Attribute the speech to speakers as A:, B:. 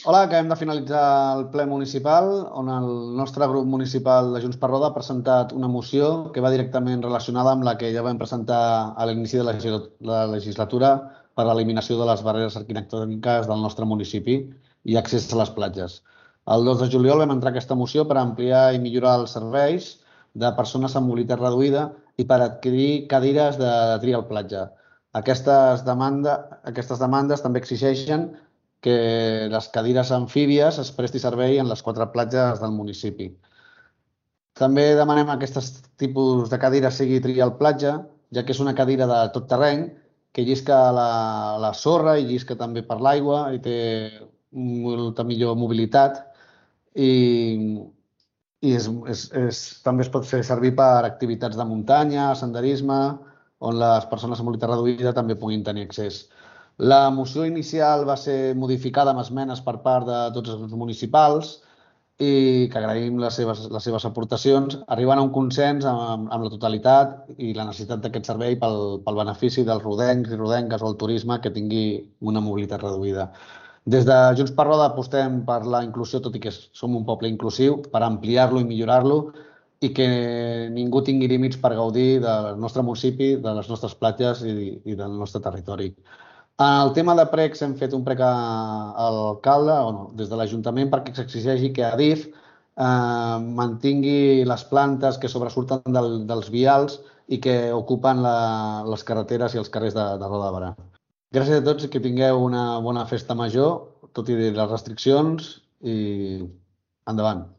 A: Hola, acabem de finalitzar el ple municipal on el nostre grup municipal de Junts per Roda ha presentat una moció que va directament relacionada amb la que ja vam presentar a l'inici de la legislatura per a l'eliminació de les barreres arquitectòniques del nostre municipi i accés a les platges. El 2 de juliol vam entrar aquesta moció per ampliar i millorar els serveis de persones amb mobilitat reduïda i per adquirir cadires de trial platja. Aquestes demandes també exigeixen que les cadires amfíbies es presti servei en les 4 platges del municipi. També demanem que aquest tipus de cadira sigui trial platja, ja que és una cadira de tot terreny que llisca la sorra i llisca també per l'aigua i té molta millor mobilitat i, també es pot fer servir per activitats de muntanya, senderisme, on les persones amb mobilitat reduïda també puguin tenir accés. La moció inicial va ser modificada amb esmenes per part de tots els grups municipals i que agraïm les seves aportacions, arribant a un consens amb la totalitat i la necessitat d'aquest servei pel benefici dels rodencs i rodenques o el turisme que tingui una mobilitat reduïda. Des de Junts per Roda apostem per la inclusió, tot i que som un poble inclusiu, per ampliar-lo i millorar-lo i que ningú tingui límits per gaudir del nostre municipi, de les nostres platges i del nostre territori. En el tema de precs hem fet un prec a l'alcalde, o no, des de l'Ajuntament, perquè s'exigeixi que Adif mantingui les plantes que sobresurten dels vials i que ocupen les carreteres i els carrers de Roda de Berà. Gràcies a tots i que tingueu una bona festa major, tot i les restriccions, i endavant.